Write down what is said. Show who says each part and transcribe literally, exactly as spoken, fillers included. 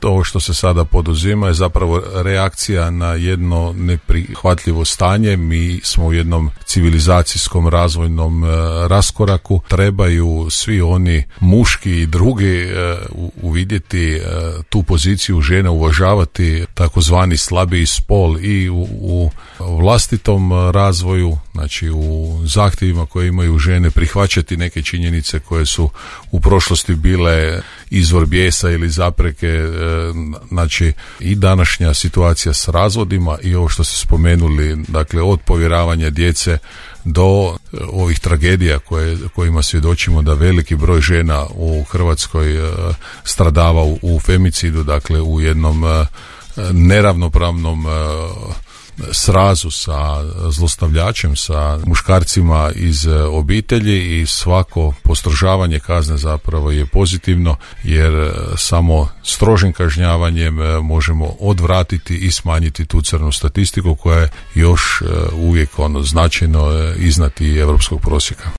Speaker 1: ovo što se sada poduzima je zapravo reakcija na jedno neprihvatljivo stanje. Mi smo u jednom civilizacijskom razvojnom e, raskoraku. Trebaju svi oni muški i drugi e, uvidjeti e, tu poziciju žene, uvažavati takozvani slabiji spol i u, u vlastitom razvoju, znači u zahtjevima koje imaju žene, prihvaćati neke činjenice koje su u prošlosti bile izvor bijesa ili zapreke, znači i današnja situacija s razvodima i ovo što ste spomenuli, dakle od povjeravanja djece do ovih tragedija koje, kojima svjedočimo, da veliki broj žena u Hrvatskoj stradava u, u femicidu, dakle u jednom neravnopravnom srazu sa zlostavljačem, sa muškarcima iz obitelji, i svako postrožavanje kazne zapravo je pozitivno, jer samo strožim kažnjavanjem možemo odvratiti i smanjiti tu crnu statistiku koja je još uvijek ono značajno iznad i europskog prosjeka.